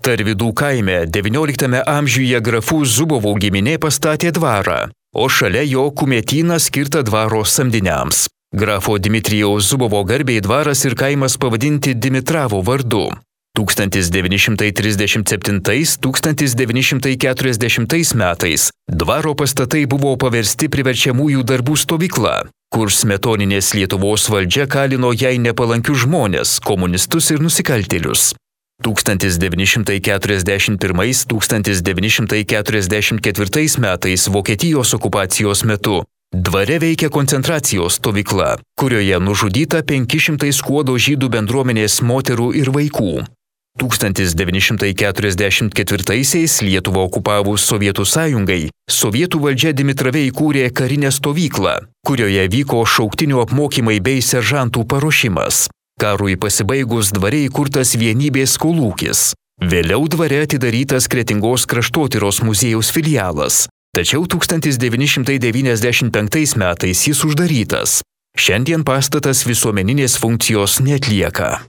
Tarvydų kaime XIX amžiuje grafų Zubovų giminė pastatė dvarą, o šalia jo kumetyną skirtą dvaro samdiniams. Grafo Dmitrijaus Zubovo garbei dvaras ir kaimas pavadinti Dimitravo vardu. 1937–1940 metais dvaro pastatai buvo paversti priverčiamųjų darbų stovykla, kur smetoninės Lietuvos valdžia kalino jai nepalankius žmones, komunistus ir nusikaltėlius. 1941–1944 metais Vokietijos okupacijos metu dvare veikia koncentracijos stovykla, kurioje nužudyta 500 skuodo žydų bendruomenės moterų ir vaikų. 1944-aisiais Lietuvą okupavus Sovietų sąjungai, Sovietų valdžia Dimitrave įkūrė karinę stovyklą, kurioje vyko šauktinių apmokymai bei seržantų paruošimas. Karui pasibaigus dvare įkurtas Vienybės kolūkis. Vėliau dvare atidarytas Kretingos kraštotyros muziejaus filialas. Tačiau 1995 metais jis uždarytas. Šiandien pastatas visuomeninės funkcijos neatlieka.